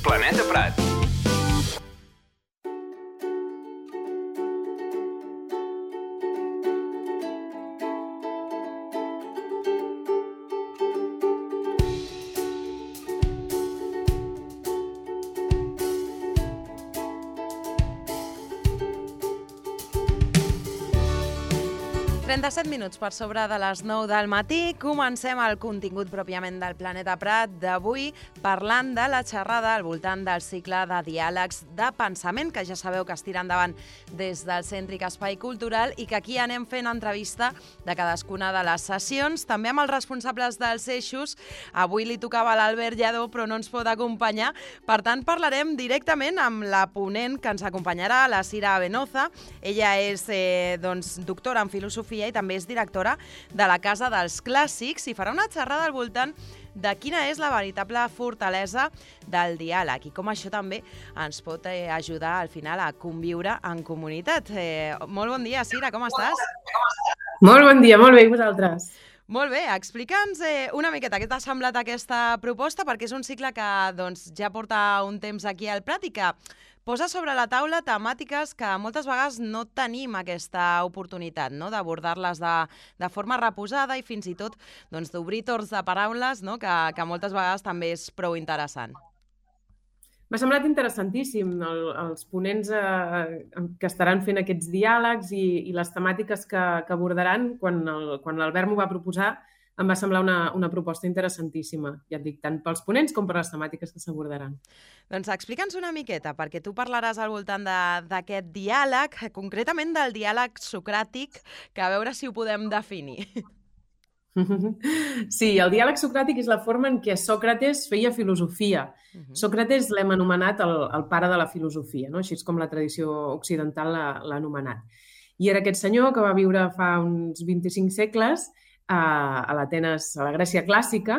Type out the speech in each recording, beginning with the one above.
Planeta Prat. Minuts per sobre de les 9 del matí. Comencem el contingut pròpiament del Planeta Prat d'avui parlant de la xerrada al voltant del cicle de diàlegs de pensament, que ja sabeu que es tira endavant des del Cèntric Espai Cultural i que aquí anem fent entrevista de cadascuna de les sessions, també amb els responsables dels eixos. Avui li tocava a l'Albert Lledó, però no ens pot acompanyar. Per tant, parlarem directament amb la ponent que ens acompanyarà, la Cira Venoza. Ella és doctora en filosofia i també és directora de la Casa dels Clàssics i farà una xerrada al voltant de quina és la veritable fortalesa del diàleg i com això també ens pot ajudar al final a conviure en comunitat. Molt bon dia, Cira, com estàs? Molt bon dia, molt bé, i vosaltres? Molt bé, explica'ns una miqueta què t'ha semblat aquesta proposta, perquè és un cicle que ja porta un temps aquí al Prat i que posa sobre la taula temàtiques que moltes vegades no tenim aquesta oportunitat, no? D'abordar-les de forma reposada i fins i tot d'obrir torns de paraules, no? que moltes vegades també és prou interessant. M'ha semblat interessantíssim els ponents que estaran fent aquests diàlegs i les temàtiques que abordaran. Quan l'Albert m'ho va proposar, em va semblar una proposta interessantíssima, ja et dic, tant pels ponents com per les temàtiques que s'abordaran. Doncs explica'ns una miqueta, perquè tu parlaràs al voltant d'aquest diàleg, concretament del diàleg socràtic, que a veure si ho podem definir. Sí, el diàleg socràtic és la forma en què Sòcrates feia filosofia. Sòcrates l'hem anomenat el pare de la filosofia, no? Així és com la tradició occidental l'ha anomenat. I era aquest senyor que va viure fa uns 25 segles a l'Atenes, a la Grècia clàssica,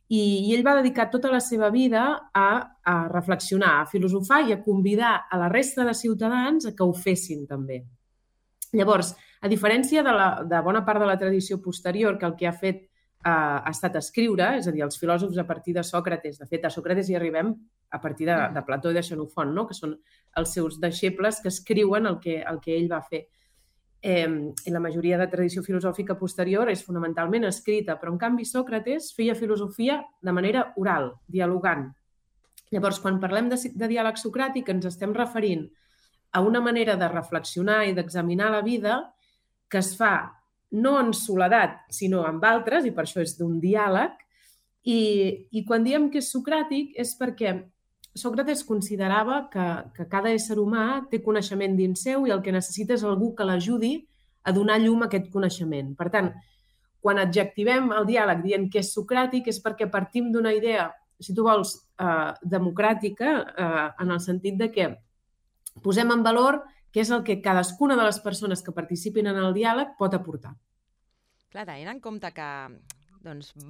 i ell va dedicar tota la seva vida a reflexionar, a filosofar i a convidar a la resta de ciutadans a que ho fessin també. Llavors, a diferència de bona part de la tradició posterior, que el que ha fet ha estat escriure, és a dir, els filòsofs a partir de Sòcrates, de fet, a Sòcrates hi arribem a partir de Plató i de Xenofont, no? Que són els seus deixebles que escriuen el que ell va fer. I la majoria de tradició filosòfica posterior és fonamentalment escrita, però en canvi Sòcrates feia filosofia de manera oral, dialogant. Llavors, quan parlem de diàleg socràtic, ens estem referint a una manera de reflexionar i d'examinar la vida que es fa no en soledat, sinó amb altres, i per això és d'un diàleg. I quan diem que és socràtic és perquè Sòcrates considerava que cada ésser humà té coneixement dins seu i el que necessita és algú que l'ajudi a donar llum a aquest coneixement. Per tant, quan adjectivem el diàleg dient que és socràtic és perquè partim d'una idea, si tu vols, democràtica, en el sentit de que posem en valor què és el que cadascuna de les persones que participin en el diàleg pot aportar. Clar, tenint en compte que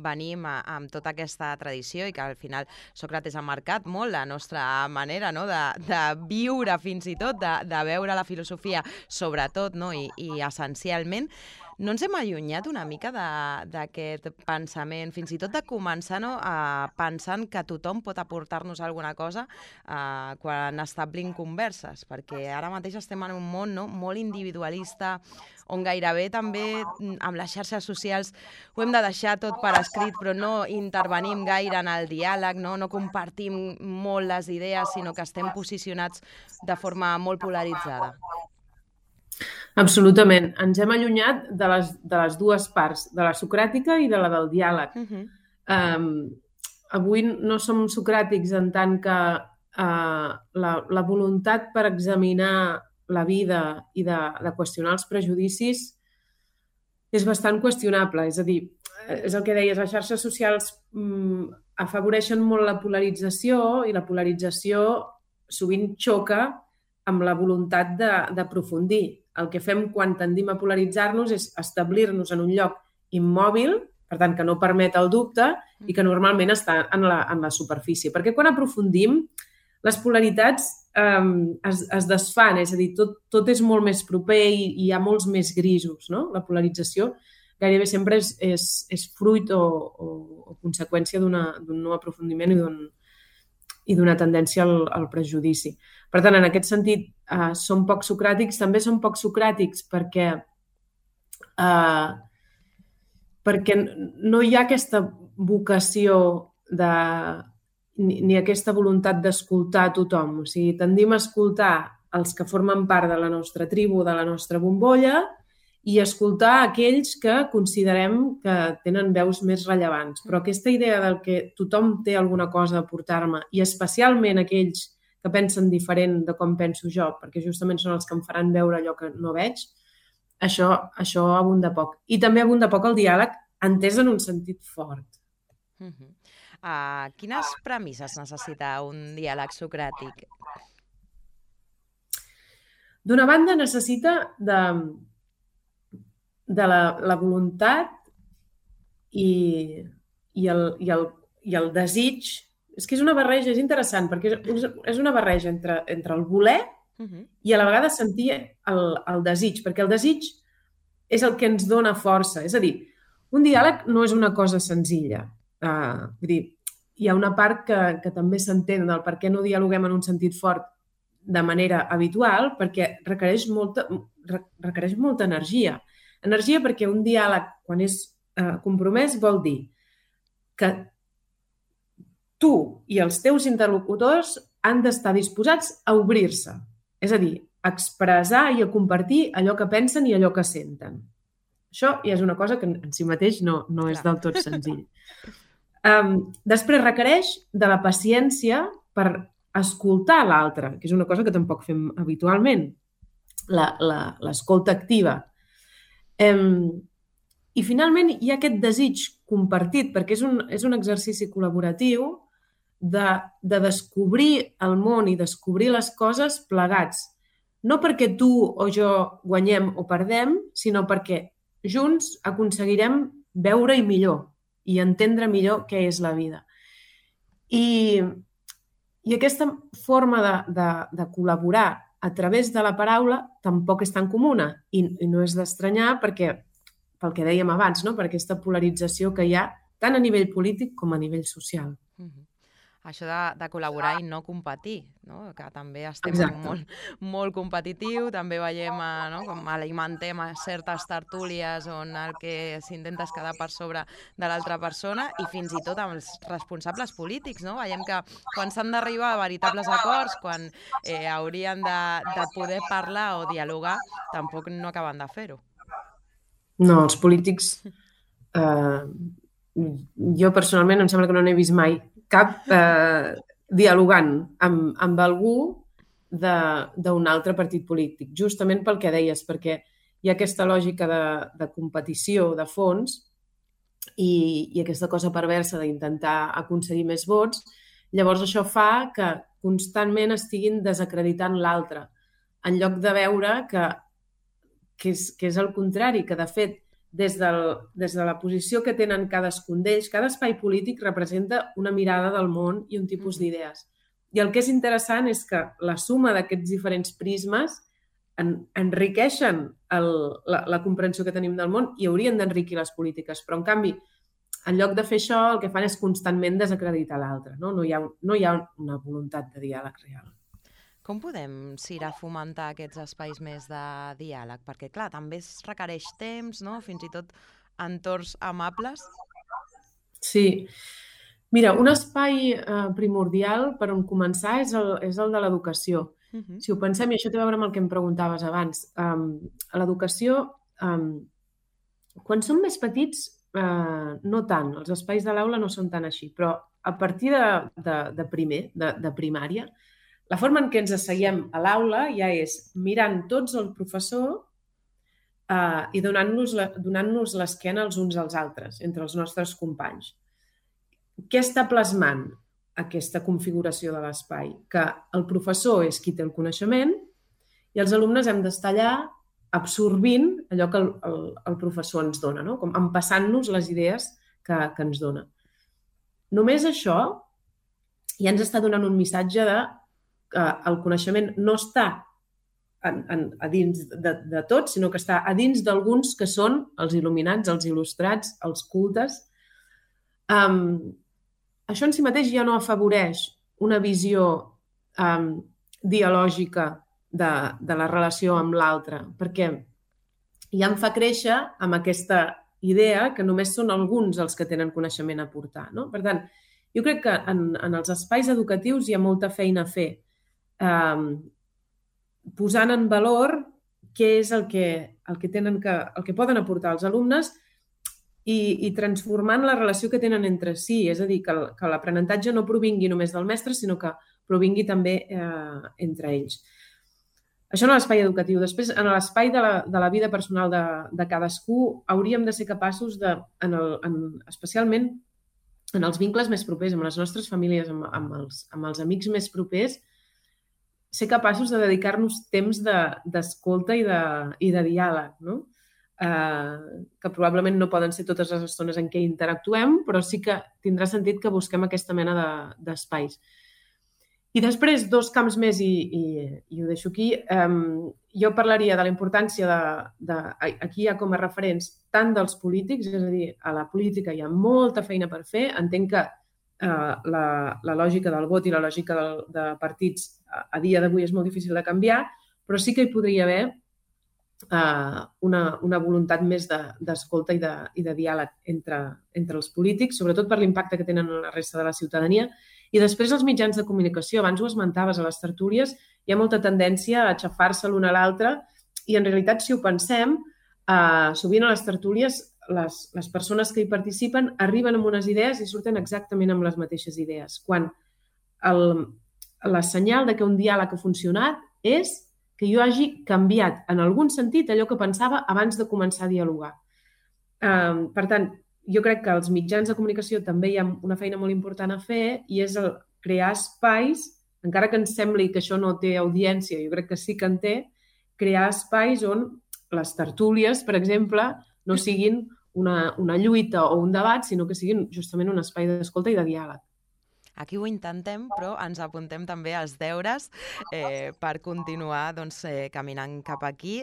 venim amb tota aquesta tradició i que al final Sòcrates ha marcat molt la nostra manera, no? de viure fins i tot, de veure la filosofia sobretot, no? I essencialment. No ens hem allunyat una mica d'aquest pensament, fins i tot de començar pensant que tothom pot aportar-nos alguna cosa quan establim converses, perquè ara mateix estem en un món molt individualista, on gairebé també amb les xarxes socials ho hem de deixar tot per escrit, però no intervenim gaire en el diàleg, no compartim molt les idees, sinó que estem posicionats de forma molt polaritzada. Absolutament. Ens hem allunyat de les dues parts, de la socràtica i de la del diàleg. Avui no som socràtics en tant que la voluntat per examinar la vida i de qüestionar els prejudicis és bastant qüestionable. És a dir, és el que deies, les xarxes socials afavoreixen molt la polarització i la polarització sovint xoca amb la voluntat d'aprofundir. El que fem quan tendim a polaritzar-nos és establir-nos en un lloc immòbil, per tant, que no permet el dubte i que normalment està en la superfície. Perquè quan aprofundim, les polaritats es desfan, és a dir, tot és molt més proper i hi ha molts més grisos, no? La polarització gairebé sempre és fruit o conseqüència d'un no aprofundiment i d'una tendència al prejudici. Per tant, en aquest sentit, són poc socràtics. També són poc socràtics perquè no hi ha aquesta vocació ni aquesta voluntat d'escoltar a tothom. O sigui, tendim a escoltar els que formen part de la nostra tribu, de la nostra bombolla, i escoltar aquells que considerem que tenen veus més rellevants. Però aquesta idea del que tothom té alguna cosa a aportar-me, i especialment aquells que pensen diferent de com penso jo, perquè justament són els que em faran veure allò que no veig, això abunda poc. I també abunda poc el diàleg entès en un sentit fort. Quines premisses necessita un diàleg socràtic? D'una banda, necessita de la voluntat i el desig. És que és una barreja, és interessant, perquè és una barreja entre el voler i a la vegada sentir el desig, perquè el desig és el que ens dona força. És a dir, un diàleg no és una cosa senzilla. Vull dir, hi ha una part que també s'entén del per què no dialoguem en un sentit fort de manera habitual, perquè requereix molta energia. Energia perquè un diàleg, quan és compromès, vol dir que tu i els teus interlocutors han d'estar disposats a obrir-se. És a dir, a expressar i a compartir allò que pensen i allò que senten. Això ja és una cosa que en si mateix no és del tot senzill. Després requereix de la paciència per escoltar l'altre, que és una cosa que tampoc fem habitualment, l'escolta activa. I finalment hi ha aquest desig compartit, perquè és un exercici col·laboratiu de descobrir el món i descobrir les coses plegats. No perquè tu o jo guanyem o perdem, sinó perquè junts aconseguirem veure-hi millor i entendre millor què és la vida. I aquesta forma de col·laborar a través de la paraula tampoc és tan comuna i no és d'estranyar perquè, pel que dèiem abans, no? Per aquesta polarització que hi ha tant a nivell polític com a nivell social. Això de col·laborar i no competir, no? Que també estem molt competitiu, també veiem com alimentem a certes tertúlies on el que s'intenta és quedar per sobre de l'altra persona i fins i tot amb els responsables polítics, no? Veiem que quan s'han d'arribar a veritables acords, quan haurien de poder parlar o dialogar, tampoc no acaben de fer-ho. No, els polítics... Jo personalment em sembla que no n'he vist mai cap dialogant amb algú d'un altre partit polític, justament pel que deies, perquè hi ha aquesta lògica de competició de fons i aquesta cosa perversa d'intentar aconseguir més vots. Llavors això fa que constantment estiguin desacreditant l'altre, en lloc de veure que és el contrari, que de fet des de la posició que tenen cadascun d'ells, cada espai polític representa una mirada del món i un tipus d'idees. I el que és interessant és que la suma d'aquests diferents prismes enriqueixen la comprensió que tenim del món i haurien d'enriquir les polítiques. Però, en canvi, en lloc de fer això, el que fan és constantment desacreditar l'altre. No hi ha una voluntat de diàleg real. Com podem, Cira, fomentar aquests espais més de diàleg? Perquè, clar, també es requereix temps, no? Fins i tot entorns amables. Sí. Mira, un espai primordial per on començar és el de l'educació. Si ho pensem, i això té a veure amb el que em preguntaves abans, a l'educació, quan som més petits, no tant, els espais de l'aula no són tan així, però a partir de primària, la forma en què ens asseiem a l'aula ja és mirant tots el professor i donant-nos l'esquena els uns als altres, entre els nostres companys. Què està plasmant aquesta configuració de l'espai? Que el professor és qui té el coneixement i els alumnes hem d'estar allà absorbint allò que el professor ens dona, no? Com empassant-nos les idees que ens dona. Només això ja ens està donant un missatge de que el coneixement no està a dins de tots, sinó que està a dins d'alguns que són els il·luminats, els il·lustrats, els cultes. Això en si mateix ja no afavoreix una visió dialògica de la relació amb l'altre, perquè ja em fa créixer amb aquesta idea que només són alguns els que tenen coneixement a aportar. No? Per tant, jo crec que en els espais educatius hi ha molta feina a fer, posant en valor què és el que poden aportar els alumnes i transformant la relació que tenen entre si. És a dir, que l'aprenentatge no provingui només del mestre, sinó que provingui també entre ells. Això en l'espai educatiu. Després, en l'espai de la vida personal de cadascú, hauríem de ser capaços especialment en els vincles més propers, amb les nostres famílies, amb els amics més propers, ser capaços de dedicar-nos temps d'escolta i de diàleg, no? Que probablement no poden ser totes les estones en què interactuem, però sí que tindrà sentit que busquem aquesta mena d'espais. I després, 2 camps més, i ho deixo aquí. Jo parlaria de la importància aquí hi ha com a referents tant dels polítics, és a dir, a la política hi ha molta feina per fer. Entenc que la lògica del vot i la lògica de partits a dia d'avui és molt difícil de canviar, però sí que hi podria haver una voluntat més d'escolta i de diàleg entre els polítics, sobretot per l'impacte que tenen en la resta de la ciutadania. I després els mitjans de comunicació, abans ho esmentaves, a les tertúlies hi ha molta tendència a aixafar-se l'un a l'altre i en realitat, si ho pensem, sovint a les tertúlies les persones que hi participen arriben amb unes idees i surten exactament amb les mateixes idees, quan la senyal de que un diàleg ha funcionat és que jo hagi canviat en algun sentit allò que pensava abans de començar a dialogar. Per tant, jo crec que als mitjans de comunicació també hi ha una feina molt important a fer i és crear espais, encara que ens sembli que això no té audiència, jo crec que sí que en té, crear espais on les tertúlies, per exemple, no siguin una lluita o un debat, sinó que siguin justament un espai d'escolta i de diàleg. Aquí ho intentem, però ens apuntem també als deures per continuar caminant cap aquí.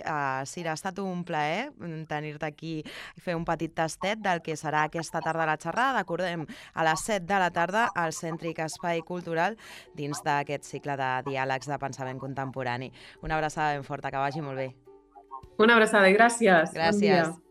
Sira, ha estat un plaer tenir-te aquí i fer un petit tastet del que serà aquesta tarda la xerrada. Recordem, a les 7 de la tarda al Cèntric Espai Cultural dins d'aquest cicle de diàlegs de pensament contemporani. Una abraçada ben forta, que vagi molt bé. Una abraçada i gràcies. Gràcies. Bon dia.